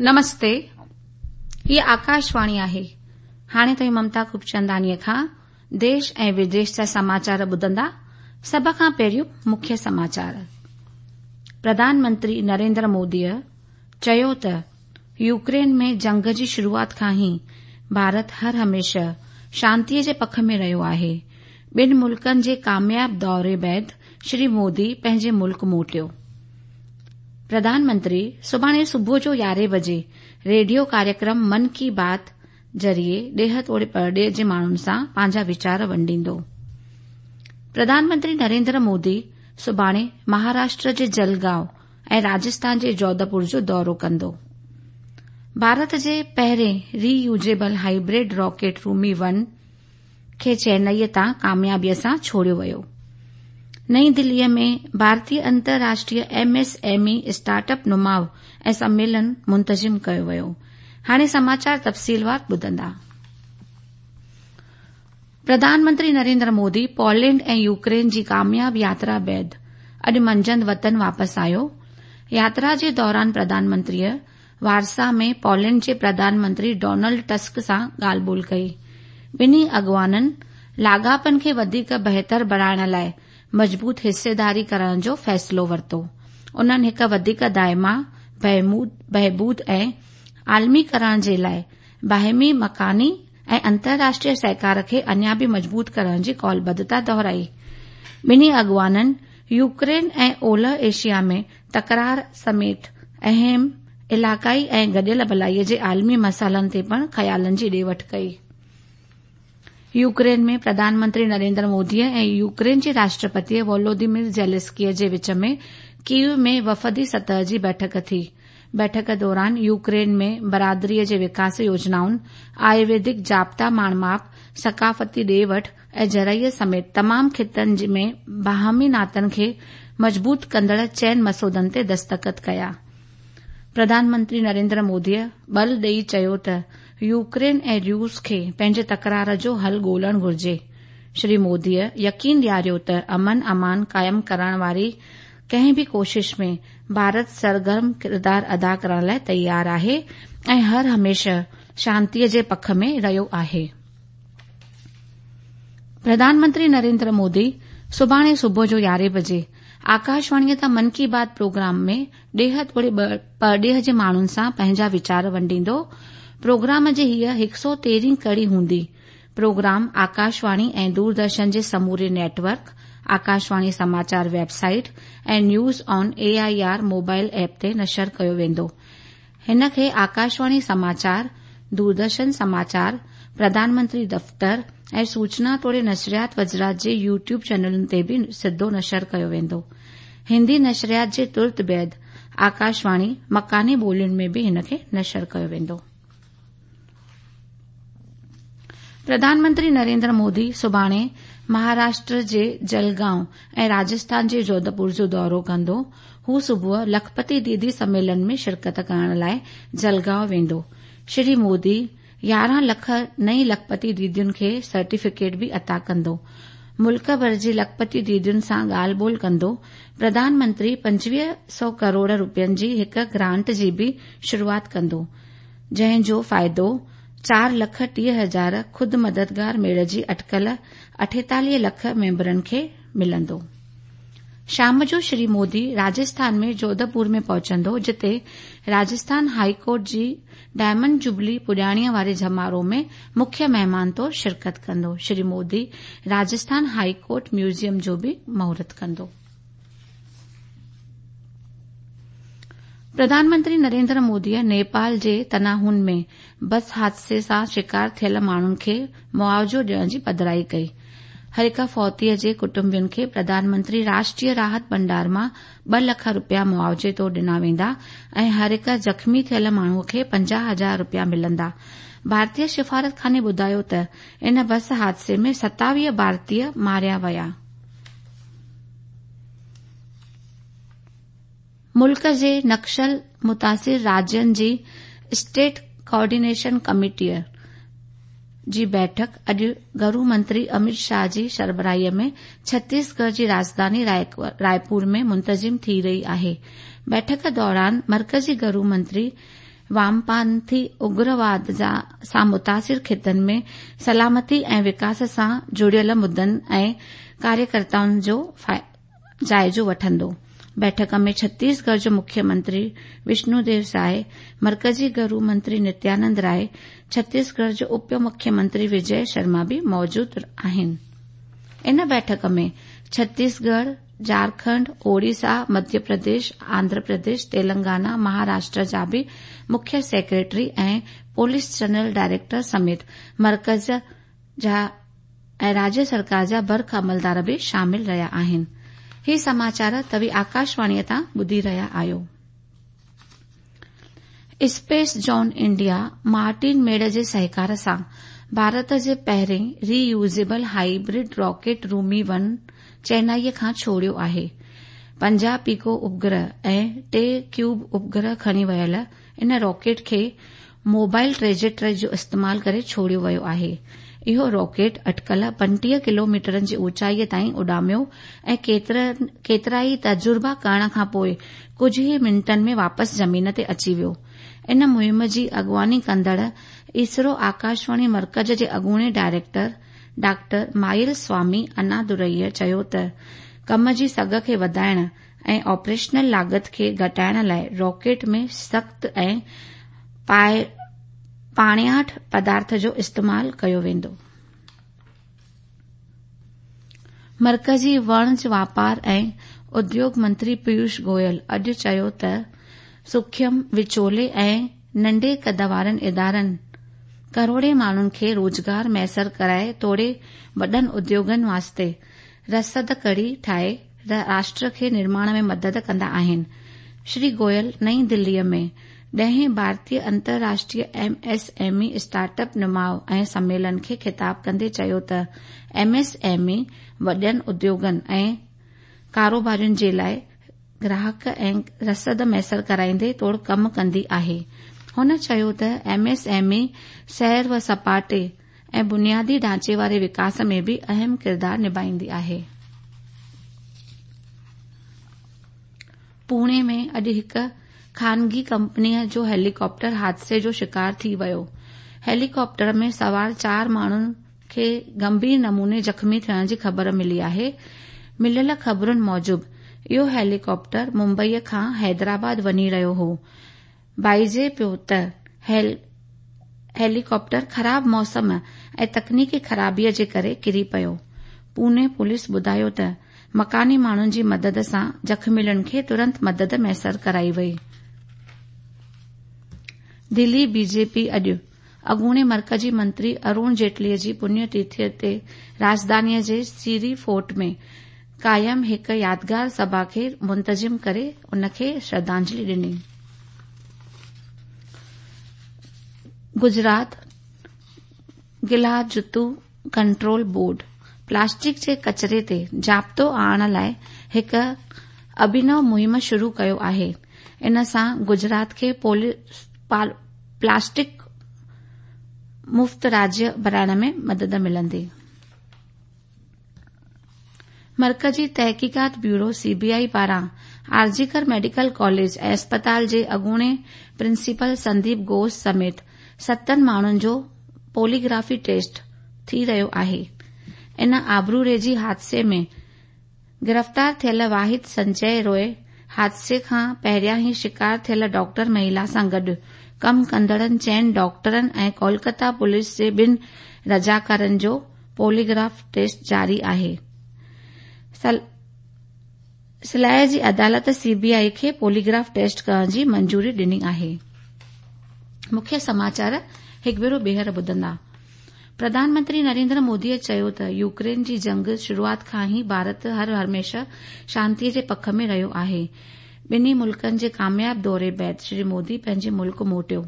نمستي، هيء آڪاشواڻي آهي. هاڻي توهين ممتا خوبچنداڻيء کان ديش ۽ وديش جا سماچار ٻڌندا. سڀ کان پهريون مکيه سماچار. پرڌان منتري نريندر موديء چيو ته يوڪرين ۾ جنگ جي شروعات کان ئي ڀارت هر هميشه شانتيء جي پک ۾ رهيو آهي. ٻن ملڪن جي ڪامياب دوري بعد شري مودي پنهنجي ملڪ موٽيو. پرڌان منتري سڀاڻي صبح جو يارهين بجي ريڊيو ڪاريڪرم من ڪي بات ذريعي ڏيهه توڙي پرڏيهه جي ماڻهن سان پنهنجا ويچار ونڊيندو. پرڌان منتري نريندر مودي سڀاڻي مهاراشٽر جي جلگائون ۽ راجسٿان جي جوڌپور جو دورو ڪندو. ڀارت جي پهرين reusable hybrid rocket Rhumi one کي چينئي تان ڪاميابيء سان ڇوڙيو ويو. نئين دليء ۾ ڀارتيه انترراشٽريه M S M E startup نماء ۽ سميلن منتظم ڪيو ويو. هاڻي سماچار تفصيلوار ٻڌندا. پرڌان منتري نريندر مودي پولينڊ ۽ يوڪرين جي ڪامياب ياترا بعد اڄ منجهند وطن واپس آيو. ياترا جي دوران پرڌان منتريء وارسا ۾ پولينڊ جي پرڌان منتري ڊونلڊ ٽسڪ سان ڳالهه ٻولهه ڪئي. ٻنهي اڳواڻن لاڳاپن کي وڌيڪ بهتر بڻائڻ لاء مضبوط حصيداري ڪرڻ جو فيصلو ورتو. انهن هڪ وڌيڪ دائما، بهبود ۽ عالميڪرڻ جي لاء باهمي مڪاني ۽ انترراشٽريه سهڪار کي اڃا به مضبوط ڪرڻ جي قولبڌتا دهرائي. ٻنهي اڳواڻن يوڪرين ۽ اولهه ايشيا ۾ تڪرار سميت اهم علائقائي ۽ گڏيل ڀلائي جي عالمي مسئلن تي پڻ خيالن جي ڏي وٺ ڪئي. يوڪرين ۾ پرڌان منتري نريندر مودي ۽ يوڪرين جي راشٽرپتي وولوديمير زيلنسڪي جي وچ ۾ ڪيو ۾ وفدي سطح جي بيٺڪ ٿي. بيٺڪ دوران يوڪرين ۾ برادريء جي وڪاس يوجنائن، آيورويدڪ ضابطا ماڻ ماپ، ثقافتي ڏي وٺ ۽ زرعي سميت تمام خطن ۾ باهمي ناتن کي مضبوط ڪندڙ چئن مسودن تي دستخط ڪيا. پرڌان منتري نريندر موديء ٻل ڏئي چيو ته يوڪرين ۽ روس کي پنهنجي تڪرار جو حل ڳولڻ گهرجي. شري موديء يقين ڏياريو ته امن امان قائم ڪرڻ واري ڪنهن به ڪوشش ۾ ڀارت سرگرم ڪردار ادا ڪرڻ لاء تيار آهي ۽ هر هميشه شانتيء جي پک ۾ رهيو آهي. پرڌان منتري نريندر مودي سڀاڻي صبح جو يارهين بجي آڪاشواڻيء تان من ڪي بات پروگرام ۾ ڏيهه توڙي پرڏيهه جي ماڻهن سان پنهنجا ويچار ونڊيندو. پروگرام جي هيء هڪ سؤ تيرهين ڪڙي هوندي. پروگرام آڪاشواڻي ۽ دوردرشن جي سموري net work, Akashvani Samachar website ۽ news on A I R mobile app تي نشر ڪيو ويندو. هن کي آڪاشواڻي سماچار، دوردرشن سماچار، پرڌان منتري دفتر ۽ سوچنا توڙي نشريات وزارت جي يوٽيوب چينلن تي به سڌو نشر ڪيو ويندو. هندي نشريات جي ترت بعد آڪاشواڻي مڪاني ٻولين ۾ به هن کي نشر ڪيو ويندو. پرڌان منتري نريندر مودي سڀاڻي مهاراشٽر جي جلگائون ۽ راجسٿان جي جوڌپور جو دورو ڪندو. هو صبح لکپتي ديدي سميلن ۾ شرڪت ڪرڻ لاء جلگائون ويندو. شري مودي يارهن لک نئين لکپتي ديدين کي سرٽيفڪيٽ به عطا ڪندو. ملڪ ڀر جي لکپتي ديدين سان ڳالهه ٻولهه ڪندو. پرڌان منتري پنجويهه سئو ڪروڙ روپين جي هڪ گرانٽ جي به شروعات ڪندو. جنهن جو فائدو چار لک 30 هزار خود مددگار ميڙ جي اٽڪل 48 لک ميمبرن کي ملندو. شام جو شري مودي راجسٿان ۾ جوڌپور ۾ پهچندو جتي راجسٿان هائي ڪورٽ جي ڊائمنڊ جوبلي پڄاڻيء واري جمارو ۾ مکيه مهمان طور شرڪت ڪندو. Shri Modi Rajasthan high court museum جو به مهورت ڪندو. پرڌان منتري نريندر موديء نيپال جي تناهون ۾ بس حادثي سان شڪار ٿيل ماڻهن کي معاوضو ڏيڻ جي پڌرائي ڪئي. هر هڪ فوتيء جي ڪٽنبن کي پرڌان منتري راشٽريه راحت ڀنڊار مان ٻه لک روپيا معاوضي طور ڏنا ويندا ۽ هر هڪ زخمي ٿيل ماڻهوء کي 50 هزار روپيا ملندا. ڀارتي سفارتخاني ٻڌايو ته ان بس حادثي ۾ 27 ڀارتي ماريا ويا. ملڪ جي نڪسل متاثر راجين جي اسٽيٽ ڪوآرڊينيشن ڪميٽيء جي بيٺڪ اڄ گهرو منتري امت شاهه جي سربراهيء ۾ ڇتيسڳڙهه جي راڄڌاني رائپور ۾ منتظم ٿي رهي آهي. بيٺڪ دوران مرڪزي گهرو منتري وامپانٿي اگرواد سان متاثر خطن ۾ سلامتي ۽ وڪاس سان جڙيل مدعن ۽ ڪاريڪرتائن جو جائزو وٺندو. بيٺڪ ۾ ڇتيسڳڙهه جو مکيه منتري وشنو ديو سائي، مرڪزي گهرو منتري نتيانند راءِ، ڇتيسڳڙهه جو اپ مکيه منتري وجي شرما به موجود آهن. ان بيٺڪ ۾ ڇتيسڳڙهه، جهارکنڊ، اوڙيسا، مڌيه پرديش، آنڌرا پرديش، تيلنگانا، مهاراشٽر جا به مکيه سيڪريٽري ۽ پوليس جنرل ڊائريڪٽر سميت مرڪز جا ۽ راجيه سرڪار جا برک عملدار به شامل رهيا آهن. هي سماچار توهين آڪاشواڻيء تان ٻڌي رهيا آهيو. Space zone India Martin made جي سهڪار سان ڀارت جي پهرين reusable hybrid rocket Rhumi one چينائيء کان ڇوڙيو آهي. 50 پيڪو اپگرهه ۽ 3 ڪيوب اپگرهه کڻي ويل ان راڪيٽ کي موبائل ٽريجيڪٽري جو استعمال ڪري ڇوڙيو ويو آهي. اهو راڪيٽ اٽڪل 35 ڪلوميٽرن جي اوچائيء تائين اڏاميو ۽ ڪيترائي تجربا ڪرڻ کان پوء ڪجهه ئي منٽن ۾ واپس زمين تي اچي ويو. ان مهم جي اڳواڻي ڪندڙ اسرو آڪاشواڻي مرڪز جي اڳوڻي ڊائريڪٽر ڊاڪٽر مائل سوامي انادورئيء چيو ته ڪم جي سگهه کي وڌائڻ ۽ آپريشنل لاڳت کي گهٽائڻ لاء راڪيٽ ۾ سخت ۽ پاڻياٺ پدارٿ جو استعمال ڪيو ويندو. مرڪزي وڻج واپار ۽ اديوگ منتري پيوش گويل اڄ چيو ته سوکيم، وچولي ۽ ننڍي قد وارن ادارن ڪروڙين ماڻهن کي روزگار ميسر ڪرائي توڙي وڏن اديوگن واسطي رسد ڪڙي ٺاهي راشٽر کي نرماڻ ۾ مدد ڪندا آهن. شري گويل نئين دليء ۾ ڏهين ڀارتيه انترراشٽريه M S M E startup نماء ۽ سميلن کي خطاب ڪندي چيو ته ايم ايس ايم اي وڏن اديوگن ۽ ڪاروبارين جي لاء گراهڪ ۽ رسد ميسر ڪرائيندي توڙ ڪم ڪندي آهي. هن چيو ته ايم ايس ايم اي سير و سپاٽي ۽ بنيادي ڍانچي واري وڪاس ۾ به اهم ڪردار نڀائيندي آهي. پوڻي ۾ اڄ هڪ خانگي ڪمپنيء جو هيليڪاپٽر حادثي جو شڪار ٿي ويو. هيليڪاپٽر ۾ سوار چار ماڻهن کي گنڀير نموني زخمي ٿيڻ جي خبر ملي آهي. مليل خبرن موجب اهو هيليڪاپٽر ممبئي کان حيدرآباد وڃي رهيو هو. ڀائجي پيو ته هيليڪاپٽر خراب موسم ۽ تڪنيڪي خرابيء جي ڪري ڪري پيو. پوني پوليس ٻڌايو ته مڪاني ماڻهن جي مدد سان زخميلن کي ترنت مدد ميسر ڪرائي وئي. دلي بي جي پي اڄ اڳوڻي مرڪزي منتري ارون جيٽلي جي پڃ تٿيء تي راڄڌانيء جي سيري فورٽ ۾ قائم هڪ يادگار سڀا کي منتظم ڪري ان کي شرڌانجلي ڏني. گجرات گلا جتو ڪنٽرول بورڊ پلاسٽڪ جي ڪچري تي ضابطو آڻڻ لاء هڪ اڀينو مهم شروع ڪيو آهي. ان سان گجرات کي پلاسٽڪ مفت راجيه بڻائڻ ۾ مدد ملندي. مرڪزي تحقيقات بيورو سي بي آء پاران آرجيڪر ميڊيڪل ڪاليج ۽ اسپتال جي اڳوڻي پرنسپل سنديپ گهوش سميت ستن ماڻهن جو پوليگرافي ٽيسٽ ٿي رهيو آهي. ان آبروريزي حادثي ۾ گرفتار ٿيل واحد سنجي روء حادثي کان پهريان ئي شڪار ٿيل ڊاڪٽر مهلا سان گڏ ڪم ڪندڙن چئن ڊاڪٽرن ۽ ڪولڪتا پوليس جي ٻن رضاڪارن جو پوليگراف ٽيسٽ جاري آهي. سلائي جي عدالت سي بي آء کي پوليگراف ٽيسٽ ڪرڻ جي منظوري ڏني آهي. مکيه سماچار هڪ ڀيرو ٻيهر ٻڌندا. پرڌان منتري نريندر موديء چيو ته يوڪرين جي جنگ شروعات کان ئي ڀارت هر هميشه شانتي جي پک ۾ رهيو آهي. ٻنهي ملڪن جي ڪامياب دوري بعد شري مودي پنهنجي ملڪ موٽيو.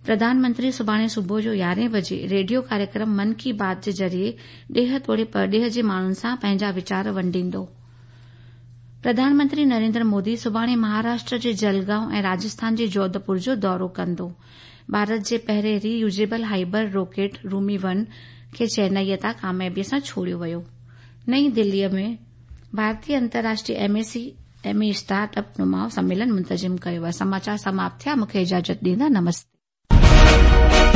پرڌان منتري سڀاڻي صبح جو يارهين بجي ريڊيو ڪاريڪرم من ڪي بات جي ذريعي ڏيهه توڙي پرڏيهه جي ماڻهن سان پنهنجا ويچار ونڊيندو. پرڌان منتري نريندر مودي سڀاڻي مهاراشٽر جي جلگائون ۽ راجسٿان جي جوڌپور جو دورو ڪندو. ڀارت جي پهرين reusable hybrid rocket Rhumi one کي چينائيء تان ڪاميابيء سان ڇوڙيو ويو. نئين دليء ۾ ڀارتيه انترراشٽريه M M E start up नुमाउ सम्मेलन मुंतज़िम कयो आहे। समाचार समाप्त थिया, मूंखे इजाज़त ॾींदा, नमस्ते।